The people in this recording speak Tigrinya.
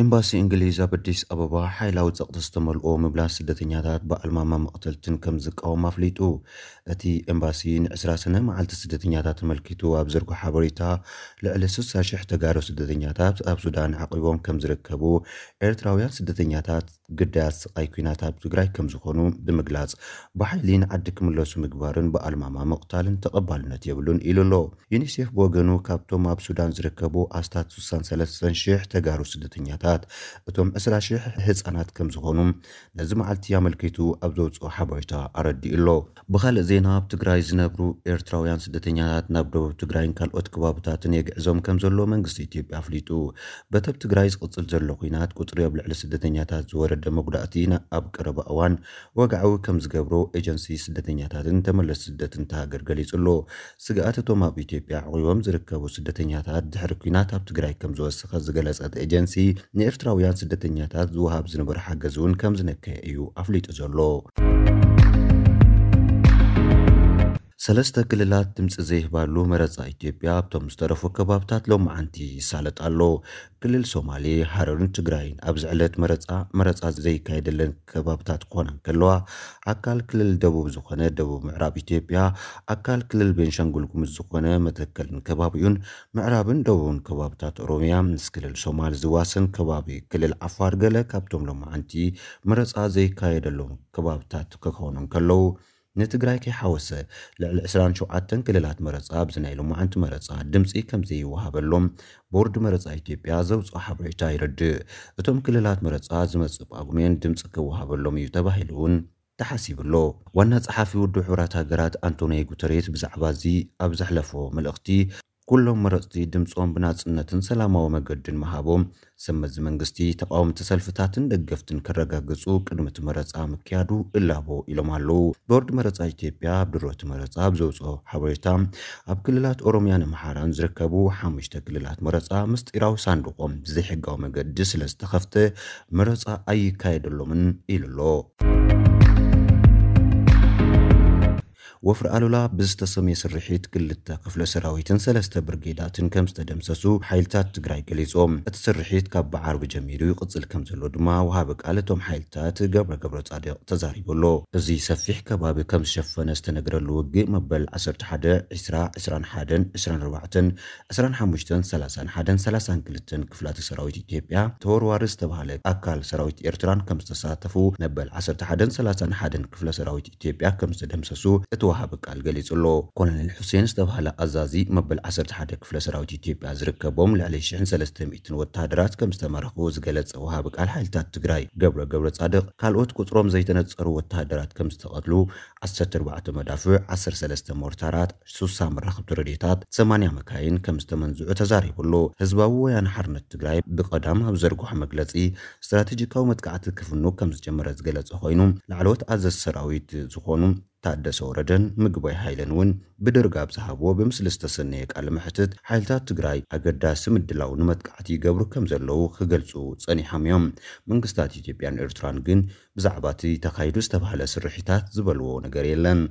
ኤምባሲ እንግሊዝ ኣብ ኣዲስ ኣበባ ሓይላዊ ጸቕጢ ዝተመልኦ ምምላስ ስደተኛታት ብኣልማማ መቕተልትን ከም ዝቃወም ኣፍሊጡ። እቲ ኤምባሲ ንዕስራ ሰነ መዓልቲ ስደተኛታት ተመልኪቱ ኣብ ዘርጎ ሓበሬታ፣ ልዕሊ ስሳ ሽሕ ተጋሩ ስደተኛታት ኣብ ሱዳን ዓቂቦም ከም ዝርከቡ፣ ኤርትራውያን ስደተኛታት ግዳያት ስቓይ ኲናት ኣብ ትግራይ ከም ዝኾኑ ብምግላጽ፣ ብሓይሊ ንዓዲ ክምለሱ ምግባርን ብኣልማማ ምቕታልን ተቐባልነት የብሉን ኢሉ ኣሎ። ዩኒሴፍ ብወገኑ፣ ካብቶም ኣብ ሱዳን ዝርከቡ ኣስታት ስሳን ሰለስተን ሽሕ ተጋሩ ስደተኛታት፣ እቶም ዕስራ ሽሕ ህጻናት ከም ዝኾኑ ነዚ መዓልቲ ኣመልኪቱ ኣብ ዘውፅኦ ሓበሬታ ኣረዲኡ ኣሎ። ብኻልእ ዜና፣ ኣብ ትግራይ ዝነብሩ ኤርትራውያን ስደተኛታት ናብ ደቡብ ትግራይን ካልኦት ከባብታትን የግዕዞም ከም ዘሎ መንግስቲ ኢትዮጵያ ኣፍሊጡ። በቲ ኣብ ትግራይ ዝቕጽል ዘሎ ኲናት፣ ቁጽሪ ኣብ ልዕሊ ስደተኛታት ዝወረደ መጉዳእቲ ና-፣ ኣብ ቀረባ እዋን ወግዓዊ ከም ዝገብሮ ኤጀንሲ ስደተኛታትን ተመለስቲ ስደትን እታ ሃገር ገሊጹ ኣሎ። ስግኣት እቶም ኣብ ኢትዮጵያ ዓቑቦም ዝርከቡ ስደተኛታት ድሕሪ ኲናት ኣብ ትግራይ ከም ዝወሰኸ ዝገለጸ እቲ ኤጀንሲ፣ ንኤርትራውያን ስደተኛታት ዝወሃብ ዝነበረ ሓገዝ እውን ከም ዝነከየ እዩ ኣፍሊጡ ዘሎ። ሰለስተ ክልላት ድምፂ ዘይህባሉ መረፃ ኢትዮጵያ ኣብቶም ዝተረፉ ከባብታት ሎማዓንቲ ይሳለጥ ኣሎ። ክልል ሶማሌ፣ ሃረርን ትግራይን ኣብዚ ዕለት መረፃ፣ መረፃ ዘይካየደለን ከባብታት ክኾና እንከለዋ፣ ኣካል ክልል ደቡብ ዝኾነ ደቡብ ምዕራብ ኢትዮጵያ፣ ኣካል ክልል ቤንሻንጉል ጉሙዝ ዝኾነ መተከልን ከባቢኡን፣ ምዕራብን ደቡብን ከባብታት ኦሮሚያ፣ ምስ ክልል ሶማል ዝዋሰን ከባቢ ክልል ዓፋር ገለ ካብቶም ሎማዓንቲ መረፃ ዘይካየደሎም ከባብታት ክኾኑ እንከለዉ፣ ንትግራይ ከይሓወሰ ልዕሊ ዕስራን ሸውዓተን ክልላት መረፃ ኣብዚ ናይ ሎማዓንቲ መረፃ ድምፂ ከም ዘይወሃበሎም ቦርድ መረፃ ኢትዮጵያ ዘውፅኦ ሓበሬታ ይረድእ። እቶም ክልላት መረፃ ዝመፅእ ጳጉሜን ድምፂ ክወሃበሎም እዩ ተባሂሉ እውን ተሓሲቡ ኣሎ። ዋና ጸሓፊ ውድብ ሕቡራት ሃገራት ኣንቶኒዮ ጉተሬስ ብዛዕባ እዚ ኣብ ዘሕለፎ መልእኽቲ፣ ኩሎም መረፅቲ ድምፆም ብናፅነትን ሰላማዊ መገድን ምሃቦም፣ ሰብ መዚ መንግስቲ፣ ተቃወምቲ ሰልፍታትን ደገፍትን ከረጋግፁ ቅድሚ እቲ መረፃ ምክያዱ እላቦ ኢሎም ኣለዉ። ቦርድ መረፃ ኢትዮጵያ ኣብ ድሮ እቲ መረፃ ኣብ ዘውፅኦ ሓበሬታ፣ ኣብ ክልላት ኦሮሚያን ኣምሓራን ዝርከቡ ሓሙሽተ ክልላት መረፃ ምስጢራዊ ሳንዱቆም ብዘይሕጋዊ መገዲ ስለ ዝተኸፍተ መረፃ ኣይካየደሎምን ኢሉ ኣሎ። ወፍሪ ኣሉላ ብዝተሰምየ ስርሒት ክልተ ክፍለ ሰራዊትን ሰለስተ ብርጌዳትን ከም ዝተደምሰሱ ሓይልታት ትግራይ ገሊጾም። እቲ ስርሒት ካብ ብዓርቢ ጀሚሩ ይቕጽል ከም ዘሎ ድማ ወሃቢ ቃል እቶም ሓይልታት ገብረ ገብረ ጻድቕ ተዛሪቡ ኣሎ። እዚ ሰፊሕ ከባቢ ከም ዝሸፈነ ዝተነግረሉ ውግእ መበል ዓሰርተ ሓደ፣ ዕስራ፣ ዕስራን ሓደን፣ ዕስራን ኣርባዕተን፣ ዕስራን ሓሙሽተን፣ ሰላሳን ሓደን፣ ሰላሳን ክልተን ክፍላተ ሰራዊት ኢትዮጵያ፣ ተወርዋሪ ዝተባህለ ኣካል ሰራዊት ኤርትራን ከም ዝተሳተፉ መበል ዓሰርተ ሓደን ሰላሳን ሓደን ክፍለ ሰራዊት ኢትዮጵያ ከም ዝተደምሰሱ እቲ ወሃቢ ቃል ገሊጹ ኣሎ። ኮሎኔል ሑሴን ዝተባህለ ኣዛዚ መበል ዓሰርተ ሓደ ክፍለ ሰራዊት ኢትዮጵያ ዝርከቦም ልዕሊ ሽሕን ሰለስተ ሚእትን ወተሃደራት ከም ዝተማረኹ ዝገለጸ ወሃቢ ቃል ሓይልታት ትግራይ ገብረ ገብረ ጻድቕ፣ ካልኦት ቁጽሮም ዘይተነጸሩ ወተሃደራት ከም ዝተቐትሉ፣ ዓሰርተ ኣርባዕተ መዳፍዕ፣ ዓሰርተ ሰለስተ ሞርታራት፣ ስሳ መራኸብቲ ረድዮታት፣ ሰማንያ መካይን ከም ዝተመንዝዑ ተዛሪቡ ኣሎ። ህዝባዊ ወያነ ሓርነት ትግራይ ብቐዳም ኣብ ዘርግሖ መግለጺ፣ ስትራቴጂካዊ መጥቃዕቲ ክፍኑ ከም ዝጀመረ ዝገለጸ ኮይኑ፣ ላዕለዎት ኣዘዝ ሰራዊት ዝኾኑ ታደሰ ወረደን ምግባይ ሃይለን እውን ብድርጋብ ዝሃብዎ ብምስሊ ዝተሰነየ ቃለ መሕትት፣ ሓይልታት ትግራይ ኣገዳሲ ምድላው ንመጥቃዕቲ ይገብሩ ከም ዘለዉ ክገልጹ ጸኒሖም እዮም። መንግስታት ኢትዮጵያን ኤርትራን ግን ብዛዕባ እቲ ተኻይዱ ዝተባህለ ስርሒታት ዝበልዎ ነገር የለን።